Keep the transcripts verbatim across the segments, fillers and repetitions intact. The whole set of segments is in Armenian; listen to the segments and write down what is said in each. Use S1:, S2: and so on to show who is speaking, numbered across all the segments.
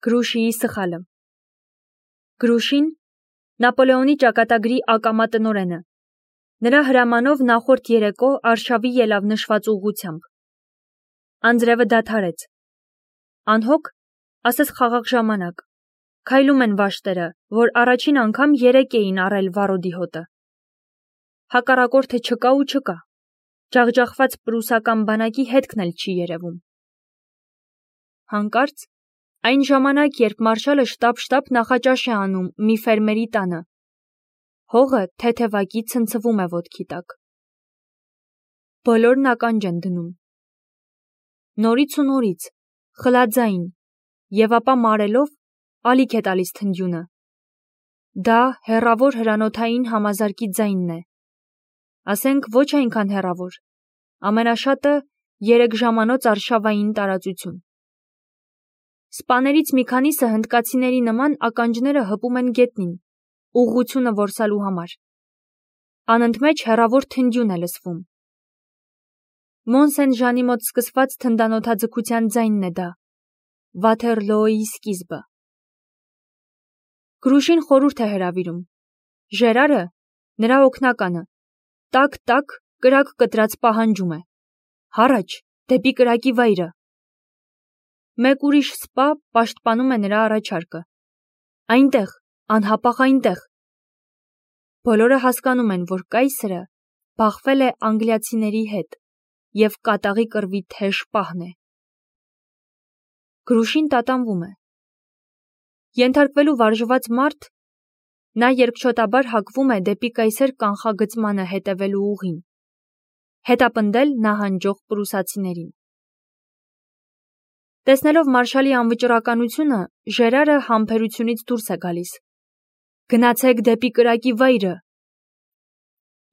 S1: Գրուշիի սխալը։ Գրուշին Նապոլեոնի ճակատագրի ակամա տնօրենը։ Նրա հրամանով նախորդ երեկո արշավի ելավ նշված ուղղությամբ։ Անձրևը դադարեց։ Անհոգ, ասես խաղաղ ժամանակ, քայլում են վաշտերը, որ առաջին անգամ երեկ էին առել վարոդի հոտը։ Հակառակորդը չկա ու չկա, ջախջախված պրուսական բանակի հետքն էլ չի երևում։ Հանկարծ, այն ժամանակ, երբ մարշալը շտապ-շտապ նախաճաշ է անում մի ֆերմերի տանը, հողը թեթևակի ցնցվում է ոտքի տակ։ Բոլորն ականջ են դնում։ Նորից ու նորից, խլաձայն, և ապա մարելով, ալիք է տալիս թնդյունը։ Դա հեռավոր հրանոթային համազարկի ձայնն է։ Ասենք ոչ այնքան հեռավոր, ամենաշատը երեք ժամանոց արշավային տարածություն։ Սպաներից մի քանիսը հնդկացիների նման ականջները հպում են գետնին, ուղղությունը որսալու համար։ Անընդմեջ հեռավոր թնդյուն է լսվում։ Մոն-Սեն-Ժանի մոտ սկսված թնդանոթաձգության ձայնն է դա, Վաթերլոյի սկիզբը։ Գրուշին խորհուրդ է հրավիրում։ Ժերարը, նրա օգնականը, տակ-տակ կրակ կտրած պահանջում է։ Հառաջ, դեպի կրակի վայրը։ Մեկ ուրիշ սպա պաշտպանում է նրա առաջարկը։ Այնտեղ, անհապաղ այնտեղ։ Բոլորը հասկանում են, որ կայսրը բախվել է անգլիացիների հետ և կատաղի կռվի թեժ պահն է։ Գրուշին տատանվում է։ Ենթարկվելու վարժված մարդ, նա երկչոտաբար հակվում է դեպի կայսեր կանխագծմանը հետևելու ուղին, հետապնդել նահանջող պրուսացիներին։ Տեսնելով մարշալի անվճռականությունը, Ժերարը համբերությունից դուրս է գալիս։ Գնացեք դեպի կրակի վայրը։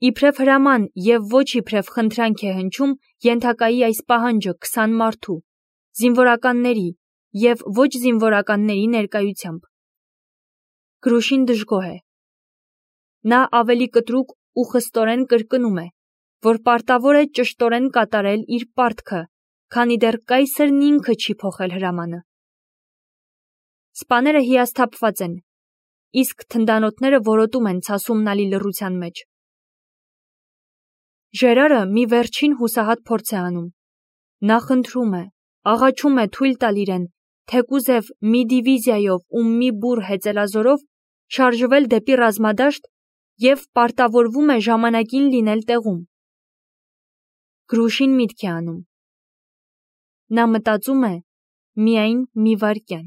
S1: Իբրև հրաման և ոչ իբրև խնդրանք է հնչում ենթակայի այս պահանջը քսան մարդու, զինվորականների և ոչ զինվորականների ներկայությամբ։ Գրուշին դժգոհ է։ Նա ավելի կտրուկ ու խստորեն կրկնում է, որ պարտավոր է ճշտորեն կատարել իր պարտքը, քանի դեռ կայսրն ինքը չի փոխել հրամանը։ Սպաները հիասթափված են, իսկ թնդանոթները որոտում են ցասումնալի լռության մեջ։ Ժերարը մի վերջին հուսահատ փորձ է անում։ Նա խնդրում է, աղաչում է թույլ տալ իրեն, թեկուզև մի դիվիզիայով ու մի բուռ հեծելազորով շարժվել դեպի ռազմադաշտ և պարտավորվում է ժամանակին լինել տեղում։ Գրուշին միտք է անում։ Նա մտածում է միայն մի վայրկյան։